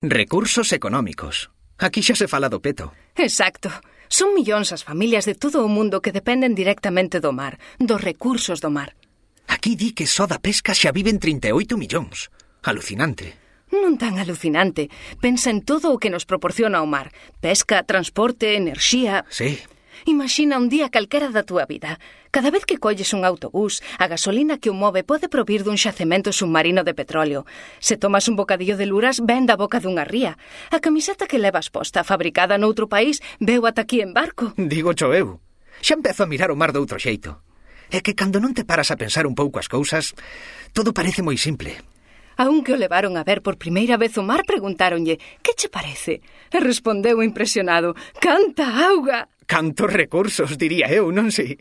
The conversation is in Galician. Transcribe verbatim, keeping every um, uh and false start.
Recursos económicos. Aquí xa se fala do peto. Exacto. Son millóns as familias de todo o mundo que dependen directamente do mar, dos recursos do mar. Aquí di que só da pesca xa viven trinta e oito millóns. Alucinante. Non tan alucinante. Pensa en todo o que nos proporciona o mar. Pesca, transporte, enerxía... Sí. Imagina un día calquera da túa vida. Cada vez que colles un autobús, a gasolina que o move pode provir dun xacemento submarino de petróleo. Se tomas un bocadillo de luras, ven da boca dunha ría. A camiseta que levas posta, fabricada noutro país, veu ata aquí en barco. Digo cho eu. Xa empezo a mirar o mar de outro xeito. É que cando non te paras a pensar un pouco as cousas, todo parece moi simple. A un que o levaron a ver por primeira vez o mar preguntáronlle «Que che parece?» E respondeu impresionado «Canta auga!» Cantos recursos, diría eu, non sei.